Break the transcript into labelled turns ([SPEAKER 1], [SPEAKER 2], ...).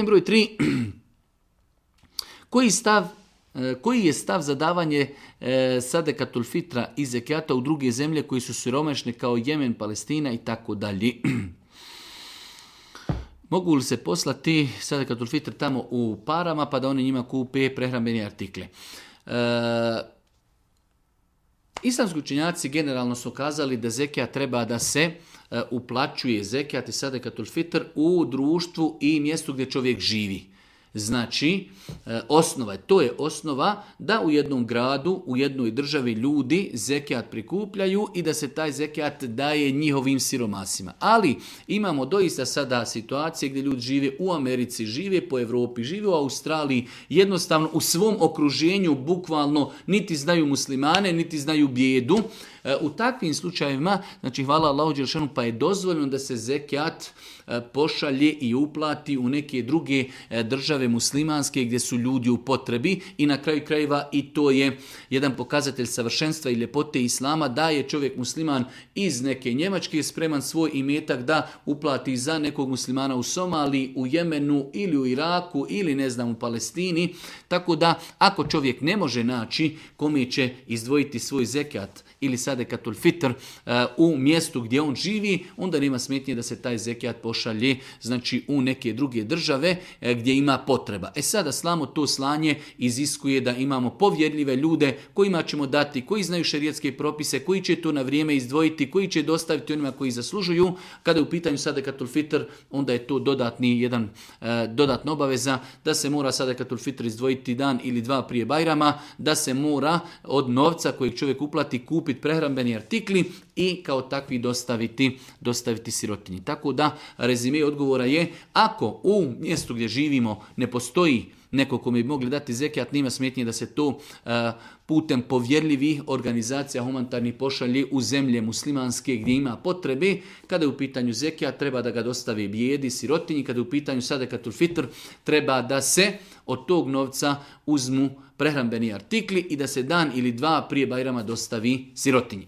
[SPEAKER 1] Broj 3. Koji je stav za davanje sadekatul fitra i zekijata u druge zemlje koji su siromašne kao Jemen, Palestina i tako dalje? Mogu li se poslati sadekatul fitr tamo u parama pa da oni njima kupe prehrambene artikle? Islamski učenjaci generalno su kazali da zekijat treba da se uplaćuje zekijat i sadekatul fitr u društvu i mjestu gdje čovjek živi. Znači, to je osnova da u jednom gradu, u jednoj državi ljudi zekijat prikupljaju i da se taj zekijat daje njihovim siromasima. Ali imamo doista sada situacije gdje ljudi žive u Americi, žive po Europi, žive u Australiji, jednostavno u svom okruženju bukvalno niti znaju muslimane, niti znaju bijedu. U takvim slučajevima, znači hvala Allahu dželešanu, pa je dozvoljeno da se zekijat pošalje i uplati u neke druge države muslimanske gdje su ljudi u potrebi i na kraju krajeva i to je jedan pokazatelj savršenstva i ljepote islama da je čovjek musliman iz neke Njemačke spreman svoj imetak da uplati za nekog muslimana u Somaliji, u Jemenu ili u Iraku ili ne znam u Palestini. Tako da ako čovjek ne može naći kome će izdvojiti svoj zekijat ili sadekatul fitr u mjestu gdje on živi, onda nema smetnje da se taj zekijat pošalje znači u neke druge države gdje ima potreba. Sada slamo to slanje iziskuje da imamo povjerljive ljude kojima ćemo dati, koji znaju šerijatske propise, koji će to na vrijeme izdvojiti, koji će dostaviti onima koji zaslužuju. Kada je u pitanju sadekatul fitr, onda je to dodatna obaveza da se mora sadekatul fitr izdvojiti dan ili dva prije Bajrama, da se mora od novca kojeg čovjek uplati kupiti prehrambeni artikli i kao takvi dostaviti sirotinji. Tako da rezime odgovora je, ako u mjestu gdje živimo ne postoji neko kome bi mogli dati zekijat, nema smetnje da se to putem povjerljivih organizacija humanitarnih pošalje u zemlje muslimanske gdje ima potrebe. Kada je u pitanju zekijat, treba da ga dostave bijedi, sirotinji. Kada je u pitanju sadekatul fitr, treba da se od tog novca uzmu prehrambeni artikli i da se dan ili dva prije Bajrama dostavi sirotinji.